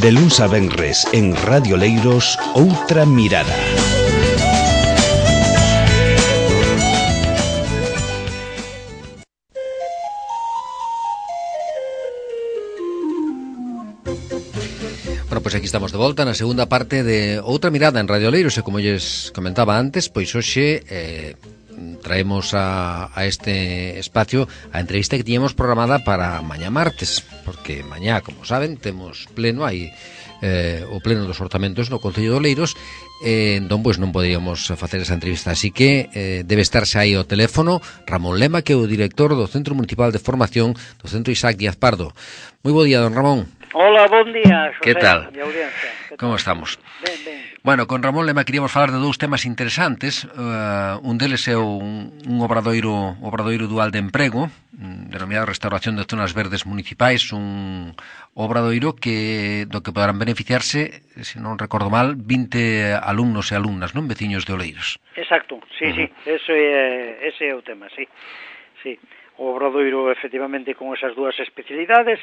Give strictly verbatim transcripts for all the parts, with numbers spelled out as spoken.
De luns a venres en Radio Leiros, Outra Mirada. Bueno, pois aquí estamos de volta na segunda parte de Outra Mirada en Radio Leiros, e como lles comentaba antes, pois hoxe eh, traemos a, a este espacio a entrevista que tiñamos programada para mañá martes, porque mañá, como saben, temos pleno aí eh, o pleno dos orzamentos no Concello de Oleiros, eh, entón pois non podíamos facer esa entrevista, así que eh, debe estarse aí ao teléfono Ramón Lema, que é o director do Centro Municipal de Formación do Centro Isaac Díaz Pardo. Moi bo día, don Ramón. Hola, bon día, José. Que tal? Que Como tal? estamos? Ben, ben. Bueno, con Ramón Lema queríamos falar de dous temas interesantes. Uh, un deles é un, un obradoiro, obradoiro dual de emprego, denominado Restauración de Zonas Verdes Municipais, un obradoiro que do que poderán beneficiarse, se non recordo mal, vinte alumnos e alumnas, non, veciños de Oleiros. Exacto, sí, uh-huh. sí, ese é, ese é o tema, sí. Sí. O obradoiro, efectivamente, con esas dúas especialidades,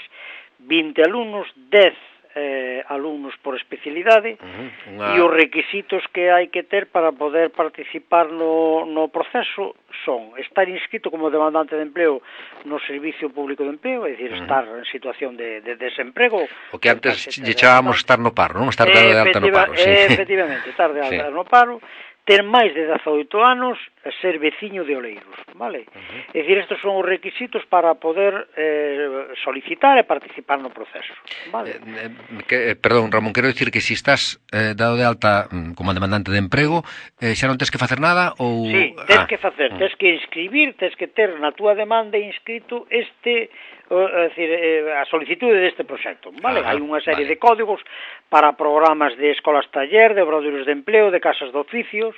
vinte alumnos, dez eh, alumnos por especialidade, uh-huh. Una... e os requisitos que hai que ter para poder participar no, no proceso son estar inscrito como demandante de empleo no Servicio Público de Empleo, é dicir, uh-huh. estar en situación de, de desemprego. O que antes lle chamamos estar no paro, non? Estar de alta no paro, sí. Efectivamente, estar de alta sí. no paro, ter máis de dezaoito anos e ser veciño de Oleiros, vale? Uh-huh. É dicir, estes son os requisitos para poder eh, solicitar e participar no proceso, vale? Eh, eh, que, perdón, Ramón, quero dicir que se si estás eh, dado de alta mm, como demandante de emprego, eh, xa non tens que facer nada ou... Sí, tens ah. que facer, tens que inscribir, tens que ter na túa demanda inscrito este... é dicir, a solicitude deste proxecto, vale? Ah, hai unha serie vale. de códigos para programas de escolas taller, de obradoiros de empleo, de casas de oficios,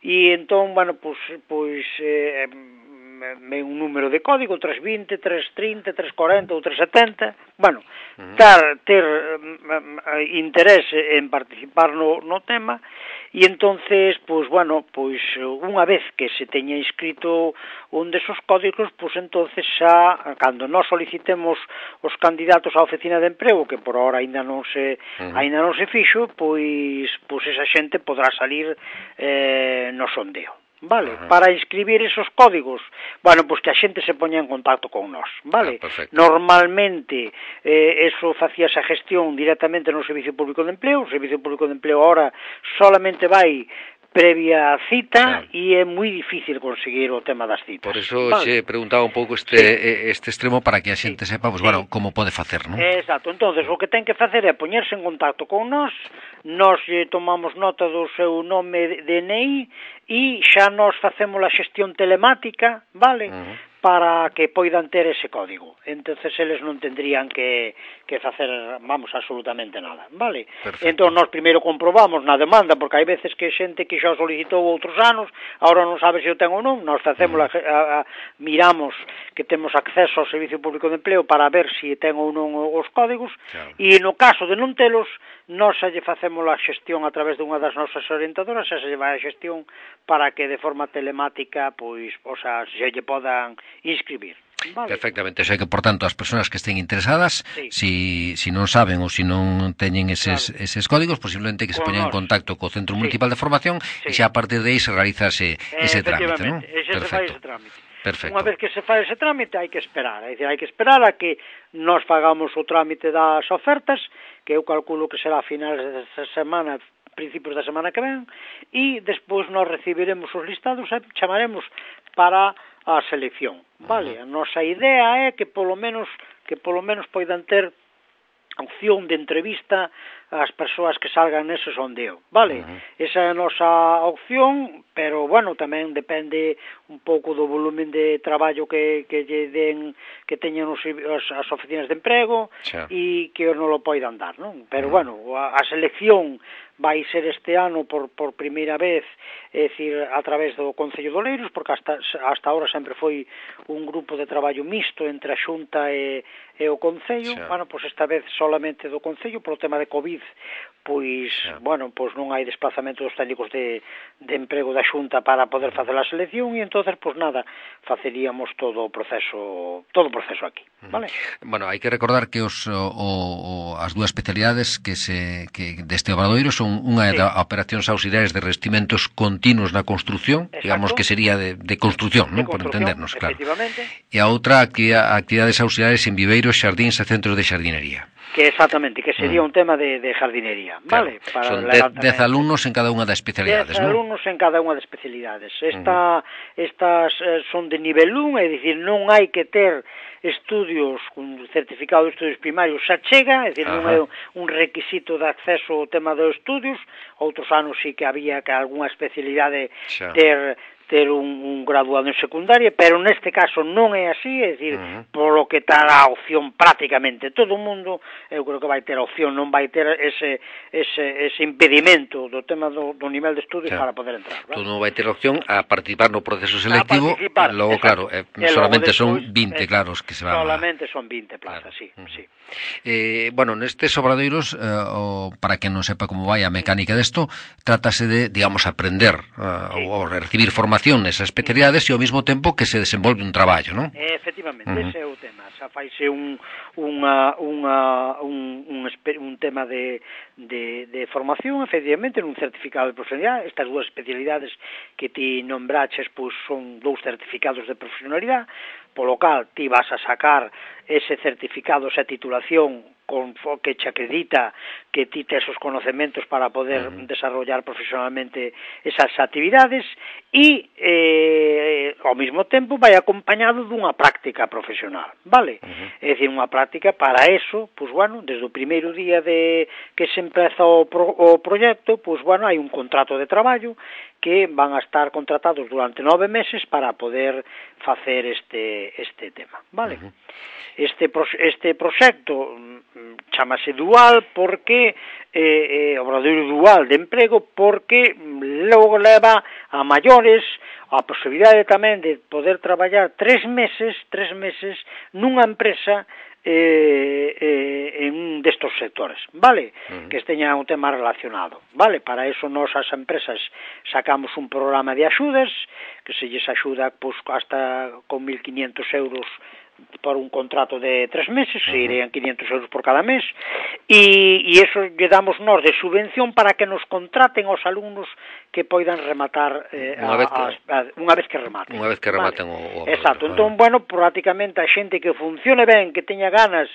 e entón, bueno, pois, pois eh, ven un número de código, tres vinte, tres trinta, tres corenta ou tres setenta, bueno, uh-huh. ter, ter um, interés en participar no, no tema, e entonces, pois, bueno, pois, unha vez que se teña inscrito un desos códigos, pois, entonces xa, cando nós solicitemos os candidatos á oficina de emprego, que por ahora ainda non se, uh-huh. ainda non se fixo, pois, pois esa xente podrá salir eh, no sondeo. Vale, uh-huh. para inscribir esos códigos, bueno, pois que a xente se poña en contacto con nós, vale? Ah, normalmente, eh, eso facía esa gestión directamente no Servicio Público de Empleo, o Servicio Público de Empleo ahora solamente vai previa cita e é moi difícil conseguir o tema das citas. Por eso vale. se preguntaba un pouco este sí. este extremo para que a xente sí. sepa, pues, sí. bueno, como pode facer, non? Exacto, entonces o que ten que facer é poñerse en contacto con nós, nós eh, tomamos nota do seu nome de N I e xa nós facemos a xestión telemática, vale? Uh-huh. para que poidan ter ese código. Entonces eles non tendrían que, que facer, vamos, absolutamente nada, vale? Perfecto. Entón, nós primeiro comprobamos na demanda, porque hai veces que xente que xa solicitou outros anos, agora non sabe se o ten ou non, nós facemos uh-huh. a, a, miramos que temos acceso ao Servicio Público de Empleo para ver se ten ou non os códigos, claro. E no caso de non telos, nós xa lle facemos a xestión a través dunha das nosas orientadoras, xa se lle vai a xestión para que de forma telemática, pois, o sea, se lle podan inscribir. Vale. Perfectamente, o sea que, por tanto, as persoas que estén interesadas, sí. si, si non saben ou si non teñen eses, claro. eses códigos, posiblemente que se poñan en contacto co Centro Municipal sí. de Formación sí. e xa a partir de aí se realiza ese, ese trámite, non? Ese se fai ese trámite. Perfecto. Unha vez que se fai ese trámite hai que esperar, é dicir, hai que esperar a que nós pagamos o trámite das ofertas, que eu calculo que será a finales desta semana, principios da semana que ven, e despois nós recibiremos os listados e chamaremos para a selección, vale? Uh-huh. A nosa idea é que polo menos que polo menos poidan ter opción de entrevista ás persoas que salgan nese sondeo, vale? Uh-huh. Esa é a nosa opción, pero, bueno, tamén depende un pouco do volumen de traballo que, que lle den, que teñan os, as, as oficinas de emprego e que non lo poidan dar, non? Pero, uh-huh. bueno, a, a selección vai ser este ano por, por primeira vez, é dicir, a través do Concello de Oleiros, porque hasta, hasta ahora sempre foi un grupo de traballo mixto entre a Xunta e, e o Concello. Xa. Bueno, pois esta vez solamente do Concello, polo tema de COVID, pois, yeah. bueno, pois non hai desplazamento dos técnicos de, de emprego da Xunta para poder facer a selección, e entonces, pois nada, faceríamos todo o proceso, todo o proceso aquí, vale? Bueno, hai que recordar que os, o, o, as dúas especialidades que se que deste obradoiro son unha sí. de operacións auxiliares de revestimentos continuos na construción, exacto. digamos que sería de, de construción, de ¿no? Por entendernos, claro. E a outra, actividad, actividades auxiliares en viveiros, xardíns e centros de xardinería. Que exactamente, que sería mm. un tema de, de jardinería, ¿vale? Claro. Para son dez, dez alumnos en cada unha das especialidades, ¿no? Dez ¿no? alumnos en cada unha das especialidades. Esta, mm. Estas eh, son de nivel un, é dicir, non hai que ter estudios, un certificado de estudios primarios xa chega, é dicir, Ajá. non é un requisito de acceso ao tema dos estudios. Outros anos sí que había que algunha especialidade xa. ter... ter un, un graduado en secundaria, pero neste caso non é así, é dicir, uh-huh. polo que está a opción prácticamente todo o mundo, eu creo que vai ter a opción, non vai ter ese, ese, ese impedimento do tema do, do nivel de estudios claro. para poder entrar. ¿Verdad? Tú non vai ter a opción a participar no proceso selectivo, logo, claro, eh, solamente despois, son vinte, eh, claro, os que se van solamente a... son vinte plazas, claro. sí, uh-huh. sí. Eh, bueno, nestes obradoiros, eh, o, para que non sepa como vai a mecánica desto, trátase de, digamos, aprender uh, sí. ou recibir formación nesas especialidades e ao mesmo tempo que se desenvolve un traballo, non? Efectivamente, uh-huh. ese é o tema. Xa faise un, unha, unha, un, un, un tema de, de, de formación, efectivamente, nun certificado de profesionalidade. Estas dúas especialidades que ti nombraches, pois son dous certificados de profesionalidade, polo cal ti vas a sacar ese certificado, esa titulación con que che acredita que ti tes os conocementos para poder uh-huh. desarrollar profesionalmente esas actividades e eh, ao mesmo tempo vai acompañado dunha práctica profesional, vale? Uh-huh. É dicir, unha práctica para eso, pois bueno, desde o primeiro día de que se empeza o, pro, o proxecto, pois bueno, hai un contrato de traballo que van a estar contratados durante nove meses para poder facer este este tema, vale? Uh-huh. Este este proxecto chamase dual porque eh, eh, obradoiro dual de emprego porque logo leva a maiores a posibilidade tamén de poder traballar tres meses, tres meses nunha empresa eh, eh, en un destos sectores, vale? Uh-huh. Que esteña un tema relacionado, vale? Para eso nos as empresas sacamos un programa de axudas que se lles axuda pois, hasta con mil quinientos euros por un contrato de tres meses, uh-huh. irían quinientos euros por cada mes, e, e eso lle damos nós de subvención para que nos contraten os alumnos que poidan rematar eh, unha, vez que, a, a, unha vez que rematen. Unha vez que rematen vale. o, o... Exacto, vale. Entón, bueno, prácticamente a xente que funcione ben, que teña ganas,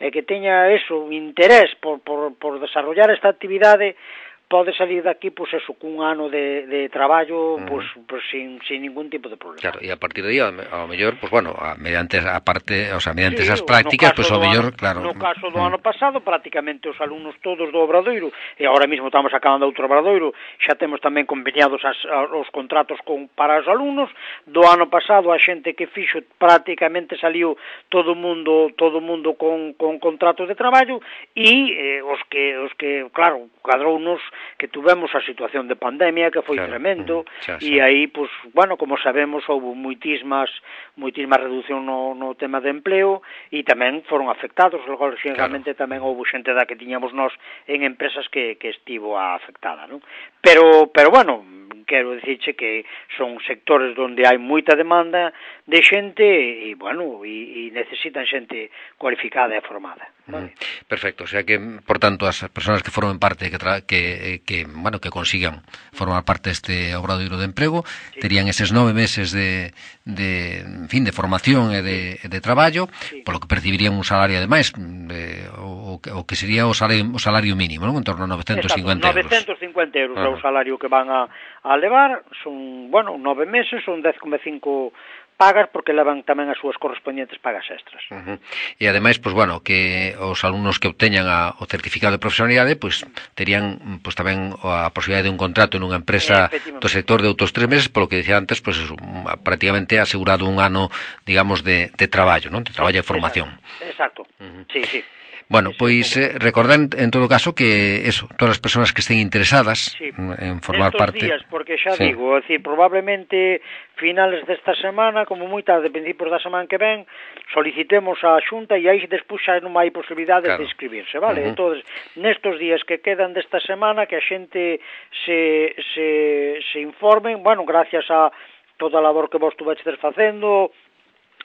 e eh, que teña eso, interés por, por, por desarrollar esta actividade, pode salir daqui, pois, eso, cun ano de, de traballo, uh-huh. pois, pois sin, sin ningún tipo de problema. Claro, e a partir de aí, ao mellor, pois, bueno, a, mediante a parte, o sea, mediante sí, esas prácticas, pois, ao mellor, claro... No caso do uh-huh. ano pasado, prácticamente os alumnos todos do Obradoiro, e agora mesmo estamos acabando outro Obradoiro, xa temos tamén conveniados as, os contratos con, para os alumnos, do ano pasado a xente que fixo prácticamente saliu todo o mundo, todo o mundo con, con contrato de traballo, e eh, os que, os que, claro, cadrounos que tuvemos a situación de pandemia que foi claro. tremendo xa, xa. E aí, pois, bueno, como sabemos houve moitísimas moitísima reducción no, no tema de empleo e tamén foron afectados, logo lógicamente claro. tamén houve xente da que tiñamos nós en empresas que, que estivo afectada, non? Pero, pero bueno, quero dicirche que son sectores onde hai moita demanda de xente e, bueno, e, e necesitan xente cualificada e formada. Vale? Mm, perfecto, o sea que, por tanto, as persoas que formen parte, que, tra que, que, bueno, que consigan formar parte deste obradoiro de emprego, sí. terían eses nove meses de, de, en fin, de formación e de, de traballo, sí. polo que percibirían un salario, ademais, de, o, o que sería o salario, o salario mínimo, non? En torno a novecentos cincuenta euros. novecentos cincuenta euros é o salario que van a, a levar, son, bueno, nove meses, son dez coma cinco pagas porque levan tamén as súas correspondientes pagas extras. Uh-huh. E ademais, pois, bueno, que os alumnos que obteñan a, o certificado de profesionalidade, pois, terían, pois, tamén a posibilidade de un contrato nunha empresa do sector de outros tres meses, polo que decía antes, pois, eso, prácticamente asegurado un ano, digamos, de, de traballo, non? De traballo e formación. Exacto, uh-huh. sí, sí. Bueno, pois eh, recordar en, en todo caso que eso, todas as persoas que estén interesadas sí. en formar Estos parte... días, porque xa sí. digo, é dicir, probablemente finales desta semana semana, como moi tarde, principios da semana que ven, solicitemos a Xunta e aí despois xa non hai posibilidades claro. de inscribirse, vale? Uh -huh. Entón, nestos días que quedan desta semana, que a xente se, se, se informen, bueno, gracias a toda a labor que vos estuveches facendo,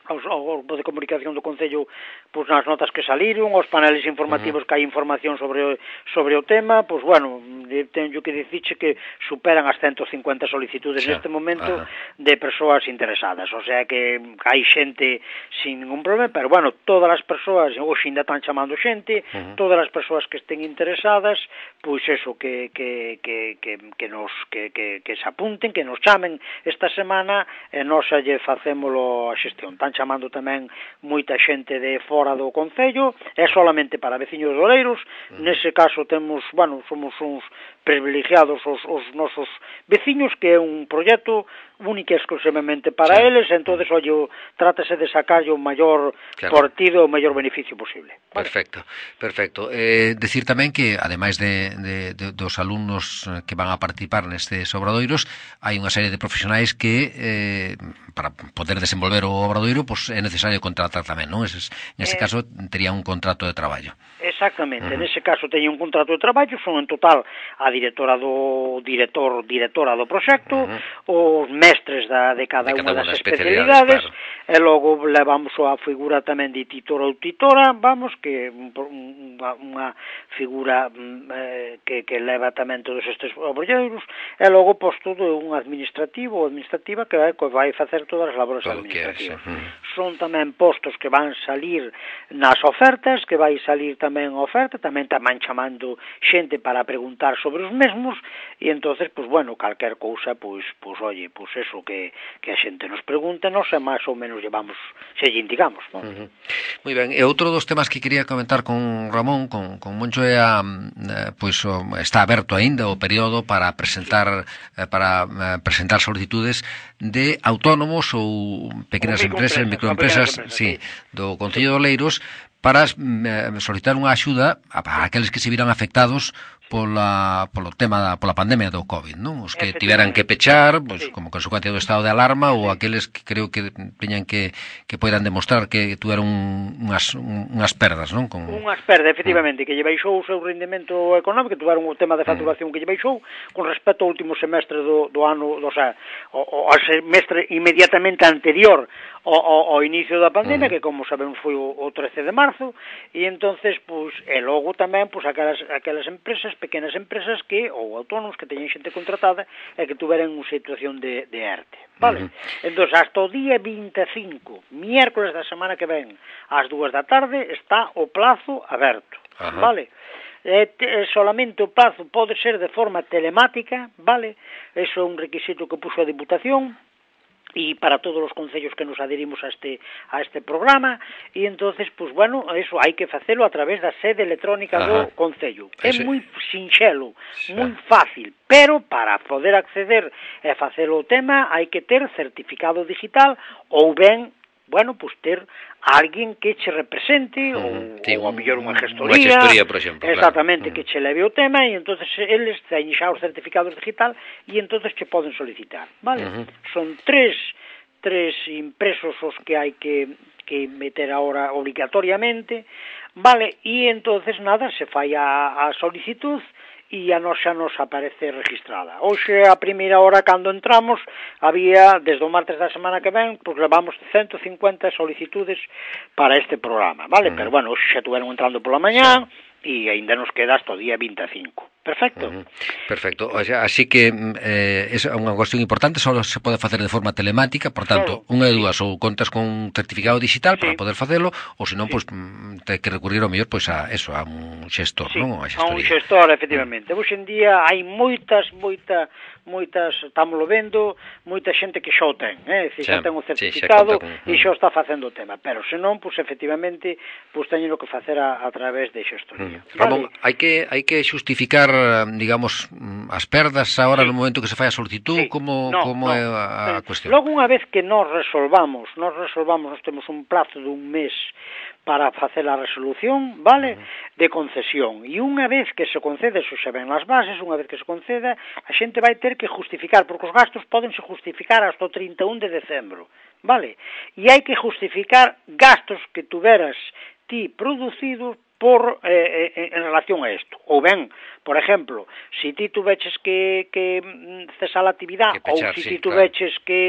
aos, ao grupo de comunicación do Concello, pois nas notas que saliron, aos paneles informativos uh -huh. que hai información sobre o, sobre o tema, pois bueno, teño que dicirche que superan as ciento cincuenta solicitudes sí. neste momento uh -huh. de persoas interesadas, o sea que hai xente sin ningún problema, pero bueno, todas as persoas, hoxe ainda están chamando xente, uh -huh. todas as persoas que estén interesadas, pois eso, que, que, que, que, que nos que, que, que se apunten, que nos chamen esta semana, e nós xa lle facémolo a xestión. Están chamando tamén moita xente de fora do Concello, é solamente para veciños de Oleiros, uh -huh. nese caso temos, bueno, somos uns privilegiados os, os nosos veciños, que é un proxecto único e exclusivamente para sí. eles, entonces, ollo, trátase de sacarlle o maior claro. partido, o maior beneficio posible. Vale. Perfecto, perfecto. Eh, decir tamén que, ademais de, de, de, dos alumnos que van a participar nestes obradoiros, hai unha serie de profesionais que, eh, para poder desenvolver o obradoiro, pues, é necesario contratar tamén, non? Ese, nese eh, caso, tería un contrato de traballo. Exactamente, uh -huh. nese caso teño un contrato de traballo, son en total a directora do director, directora do proxecto, uh -huh. os mestres da, de cada, de cada unha das especialidades, claro. E logo levamos a figura tamén de titora ou titora, vamos, que unha, unha figura eh, que, que leva tamén todos estes obrolleiros, e logo pois todo un administrativo ou administrativa que vai, que vai facer todas as labores todo administrativas. Que é, sí. Son tamén postos que van salir nas ofertas, que vai salir tamén a oferta, tamén tamén chamando xente para preguntar sobre os mesmos, e entonces, pois bueno, calquer cousa, pois, pois oye, pois eso que, que a xente nos pregunte, non sei, máis ou menos llevamos, se lle indicamos, non? Uh -huh. Moi ben, e outro dos temas que quería comentar con Ramón, con, con Moncho, é a, pois, o, está aberto aínda o período para presentar para presentar solicitudes de autónomos ou pequenas empresas, microempresas, sí, do Concello de Oleiros, para solicitar unha axuda a aqueles que se viran afectados pola, polo tema da, pola pandemia do COVID, non? Os que tiveran que pechar, pois, sí. como consecuencia do estado de alarma, ou aqueles que creo que teñan que, que poidan demostrar que tuveron unhas, unhas perdas, non? Con... Unhas perdas, efectivamente, mm. que lle baixou o seu rendemento económico, que tuveron o tema de facturación mm. que lle baixou, con respecto ao último semestre do, do ano, do, o sea, o, o semestre inmediatamente anterior ao, ao, ao inicio da pandemia, mm. que como sabemos foi o, o trece de marzo, e entonces, pois, e logo tamén, pois, aquelas, aquelas empresas, pequenas empresas que, ou autónomos que teñen xente contratada e que tuveran unha situación de, de ERTE, vale? Uh -huh. Entón, hasta o día vinte e cinco, miércoles da semana que ven, ás dúas da tarde, está o plazo aberto, uh -huh. vale? E, e solamente o plazo pode ser de forma telemática, vale? Eso é un requisito que puxo a Diputación, e para todos os concellos que nos adherimos a este a este programa, e entonces, pues bueno, eso hai que facelo a través da sede electrónica Ajá. do concello. É moi sinxelo, sí. moi fácil, pero para poder acceder e facelo o tema hai que ter certificado digital ou ben, bueno, pues ter alguén que che represente, uh -huh. ou, sí, ou a mellor unha gestoría, unha gestoría, por exemplo, exactamente, claro. que che leve o tema, e entonces eles teñen xa os certificados digital, e entonces che poden solicitar, vale? Uh -huh. Son tres, tres impresos os que hai que, que meter ahora obligatoriamente, vale? E entonces, nada, se fai a, a solicitud, e a nos xa nos aparece registrada. Hoxe, a primeira hora, cando entramos, había, desde o martes da semana que ven, pois levamos ciento cincuenta solicitudes para este programa, vale? Mm. Pero, bueno, hoxe xa tuveron entrando pola mañá, sí. E aínda nos queda hasta o día vinte e cinco. Perfecto. Uh -huh. Perfecto. O sea, así que eh, é unha cuestión importante, só se pode facer de forma telemática, por tanto, claro. unha de dúas, ou contas con un certificado digital sí. para poder facelo, ou senón, sí. pois, te que recurrir ao mellor, pois, a eso, a un xestor, sí. non? A, a un xestor, efectivamente. Uh -huh. Hoxe en día hai moitas, moita, moitas, estámoslo vendo, moita xente que xa o ten, eh? Dicir, xa, xa ten o certificado sí, xa con... e xa está facendo o tema, pero senón, pois, efectivamente, pois, teñen que facer a, a través de xestoría. Uh -huh. Ramón, vale. hai que hai que xustificar, digamos, as perdas agora sí. no momento que se fai a solicitud, sí. como, no, como no. é a, a cuestión? Logo, unha vez que nós resolvamos, nós resolvamos, nós temos un plazo dun mes para facer a resolución, vale, uh -huh. de concesión, e unha vez que se concede, eso xa ven nas bases, unha vez que se conceda, a xente vai ter que justificar, porque os gastos podense justificar hasta o trinta e un de decembro, vale? E hai que justificar gastos que tuveras ti producidos por eh, eh, en relación a isto. Ou ben, por exemplo, se ti tuveches que, que cesar a actividade, ou se ti tuveches claro. que,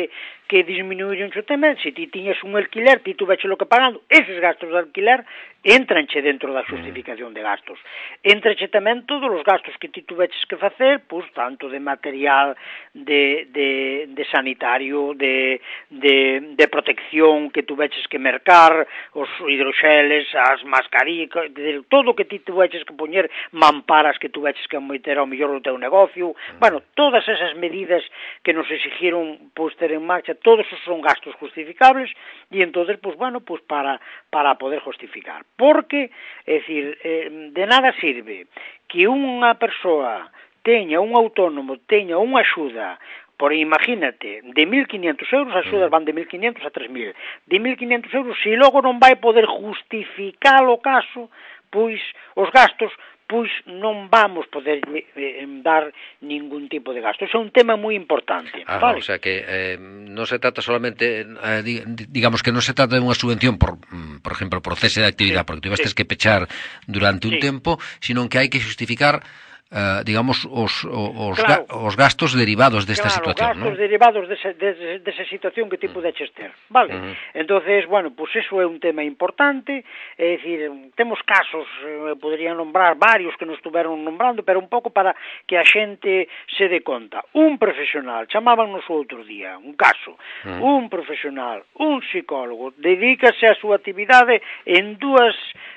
que disminuir un tema, se ti tiñes un alquiler, ti tuveches lo que pagando, eses gastos de alquiler entranche dentro da justificación de gastos. Entranche tamén todos os gastos que ti tuveches que facer, pois, tanto de material, de, de, de sanitario, de, de, de protección que tuveches que mercar, os hidroxeles, as mascarillas, todo o que ti tuveches que poñer, mamparas que tuveches que meter ao mellor o teu negocio, bueno, todas esas medidas que nos exigiron pois ter en marcha, todos esos son gastos justificables e entonces, pois bueno, pois para, para poder justificar. Porque, é dicir, eh, de nada sirve que unha persoa teña, un autónomo, teña unha axuda, por imagínate, de mil quinientos euros, as axudas van de mil quinientos a tres mil, de mil quinientos euros, se logo non vai poder justificar o caso, pois os gastos, pois non vamos poder eh, dar ningún tipo de gasto. Eso é un tema moi importante. Ah, vale? O sea que eh, non se trata solamente, eh, digamos que non se trata de unha subvención por, por exemplo, por cese de actividade, sí, porque tivestes sí. que pechar durante un sí. tempo, sino que hai que justificar Uh, digamos, os, os, claro. ga, os gastos derivados desta claro, situación, gastos ¿no? derivados desa de, de, de situación que ti pudeches ter, vale? Uh-huh. Entonces, bueno, pues eso é un tema importante, é dicir, temos casos, eh, podería nombrar varios que nos estuveron nombrando, pero un pouco para que a xente se dé conta. Un profesional, chamábanos o outro día, un caso, uh-huh. un profesional, un psicólogo, dedícase a súa actividade en dúas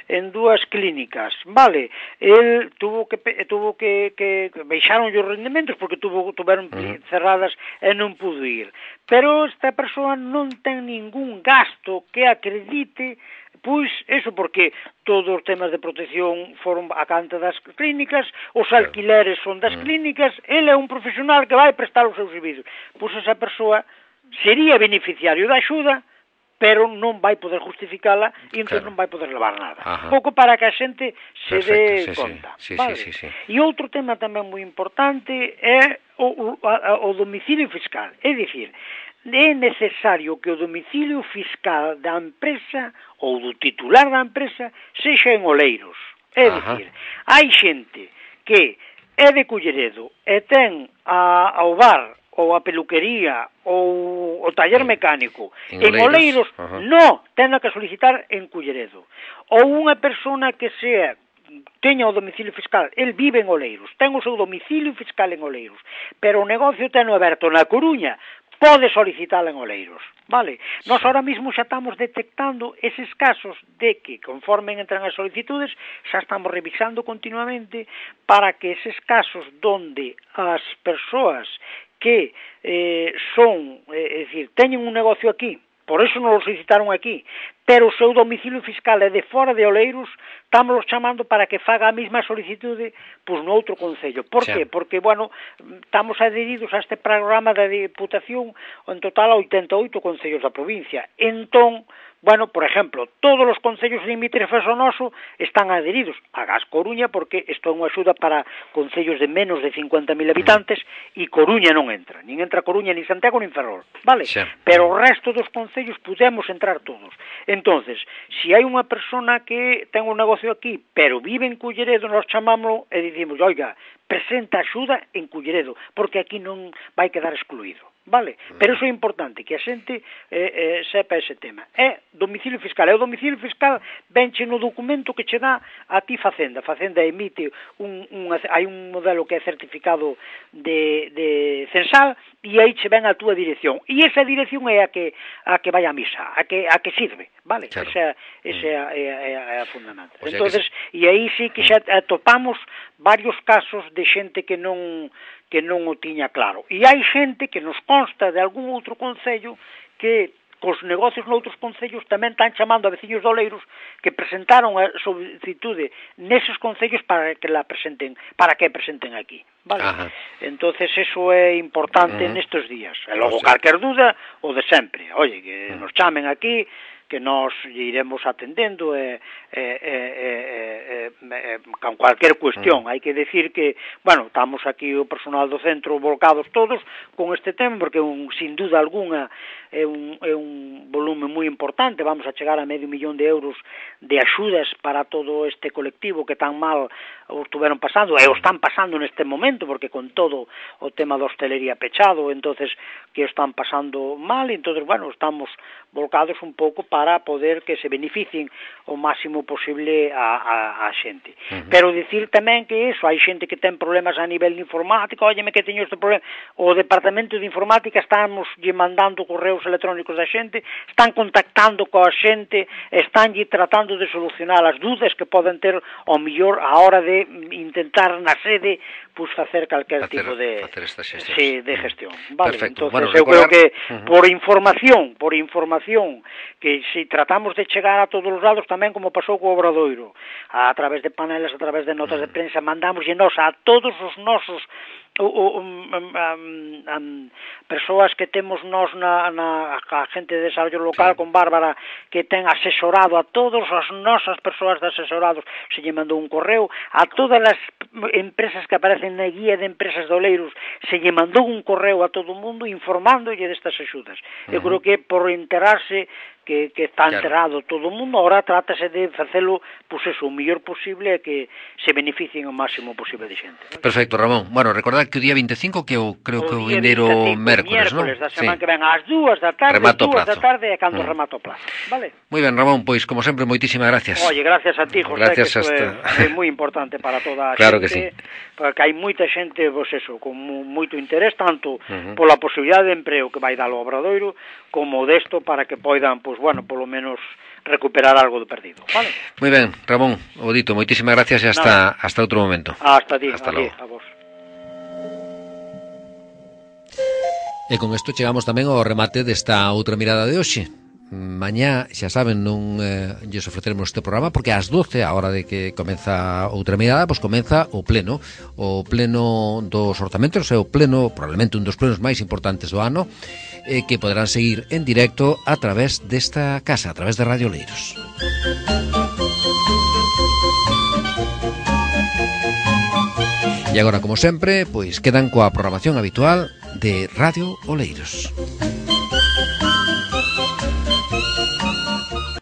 en dúas clínicas, vale? El tuvo que tuvo que que baixaron os rendimentos porque tuvo tuveron uh-huh. cerradas e non pudo ir. Pero esta persoa non ten ningún gasto que acredite, pois, eso porque todos os temas de protección foron a canta das clínicas, os alquileres son das clínicas, ele é un profesional que vai prestar os seus servizos. Pois esa persoa sería beneficiario da axuda, pero non vai poder justificala e entón claro. non vai poder levar nada. Ajá. Pouco para que a xente se dé sí, conta. Sí, vale? sí, sí, sí. E outro tema tamén moi importante é o, o, o domicilio fiscal. É dicir, é necesario que o domicilio fiscal da empresa ou do titular da empresa sexa en Oleiros. É dicir, hai xente que é de Culleredo e ten a, ao bar ou a peluquería, ou o taller mecánico, en, en Oleiros, uh-huh. no, ten que solicitar en Culleredo. Ou unha persona que sea, teña o domicilio fiscal, el vive en Oleiros, ten o seu domicilio fiscal en Oleiros, pero o negocio ten aberto na Coruña, pode solicitar en Oleiros, vale? Nós ahora mismo xa estamos detectando eses casos de que, conforme entran as solicitudes, xa estamos revisando continuamente para que eses casos donde as persoas que eh, son, eh, é dicir, teñen un negocio aquí, por eso non lo solicitaron aquí, pero o seu domicilio fiscal é de fora de Oleiros, estamos chamando para que faga a mesma solicitude pois no outro concello. Por que? Porque, bueno, estamos adheridos a este programa da Diputación en total a oitenta e oito concellos da provincia. Entón, bueno, por exemplo, todos os concellos limítrofes ao noso están adheridos a Gas Coruña porque isto é unha axuda para concellos de menos de cincuenta mil habitantes e Coruña non entra, nin entra Coruña, nin Santiago, nin Ferrol, vale? Sí. Pero o resto dos concellos podemos entrar todos. Entonces, se hai unha persona que ten un negocio aquí, pero vive en Culleredo, nos chamámoslo e dicimos, oiga, presenta axuda en Culleredo, porque aquí non vai quedar excluído. Vale? Pero iso é importante, que a xente eh, eh, sepa ese tema. É domicilio fiscal. E o domicilio fiscal venche no documento que che dá a ti Facenda. Facenda emite un, un, hai un modelo que é certificado de, de censal e aí che ven a túa dirección. E esa dirección é a que a que vai a misa, a que a que sirve, vale? Claro. Esa, esa é, é, é, é a fundamental. O sea entonces, que... e aí sí que xa atopamos varios casos de xente que non que non o tiña claro. E hai xente que nos consta de algún outro concello que cos negocios noutros concellos tamén están chamando a veciños de Oleiros que presentaron a solicitude neses concellos para que la presenten, para que presenten aquí, vale? Ajá. Entonces eso é importante uh-huh. nestes días. E logo, o sea, calquer duda, o de sempre. Oye, que uh-huh. nos chamen aquí, que nós iremos atendendo e, e, e, e, e, con cualquier cuestión. Hai que decir que, bueno, estamos aquí o personal do centro volcados todos con este tema, porque un, sin duda alguna é un, é un volume moi importante, vamos a chegar a medio millón de euros de axudas para todo este colectivo que tan mal o estuveron pasando, e o están pasando neste momento, porque con todo o tema da hostelería pechado, entonces que o están pasando mal, entonces, bueno, estamos volcados un pouco para poder que se beneficien o máximo posible a, a, a xente. Uh-huh. Pero dicir tamén que iso, hai xente que ten problemas a nivel informático, óyeme que teño este problema, o departamento de informática estamos lle mandando correos electrónicos da xente, están contactando coa xente, están lle tratando de solucionar as dúdas que poden ter ao mellor a hora de intentar na sede pues facer calquer facer, tipo de sí, de gestión. Vale, perfecto. Entonces Bueno, eu recordar... creo que uh-huh. por información, por información que si tratamos de chegar a todos os lados tamén como pasou co Obradoiro, a través de paneles, a través de notas uh-huh. de prensa, mandamos e nos a todos os nosos o, o, um, um, um, persoas que temos nós na, na a gente de desarrollo local sí. con Bárbara que ten asesorado a todas as nosas persoas de asesorados, se lle mandou un correo a todas as empresas que aparecen na guía de empresas de Oleiros, se lle mandou un correo a todo o mundo informándolle destas axudas. Uh-huh. Eu creo que por enterarse que, que está claro. enterado todo o mundo, ahora trátase de facelo, pois eso, o mellor posible e que se beneficien o máximo posible de xente. ¿No? Perfecto, Ramón. Bueno, recordad que o día veinticinco, que eu creo o que o vindeiro mércoles, non? Mércoles da semana sí. que ven ás dúas da tarde, remato dúas da plazo. tarde é cando mm. remato o plazo. Vale? Moi ben, Ramón, pois, como sempre, moitísimas gracias. Oye, gracias a ti, José, gracias que hasta... é, é moi importante para toda a claro xente. Que sí. Porque hai moita xente, pois eso, con moito interés, tanto uh-huh. pola posibilidade de empreo que vai dar o Obradoiro, como desto para que poidan, pois bueno, polo menos recuperar algo do perdido, vale? Moi ben, Ramón, o dito, moitísimas gracias e hasta, hasta outro momento. Hasta ti, hasta a, ti, a vos. E con isto chegamos tamén ao remate desta outra mirada de hoxe. Mañá, xa saben, non eh, lles ofreceremos este programa porque ás doce, a hora de que comeza outra mirada, pois comeza o pleno o pleno dos orzamentos, é o pleno, probablemente un dos plenos máis importantes do ano, eh, que poderán seguir en directo a través desta casa, a través de Radio Oleiros. E agora, como sempre, pois quedan coa programación habitual de Radio Oleiros.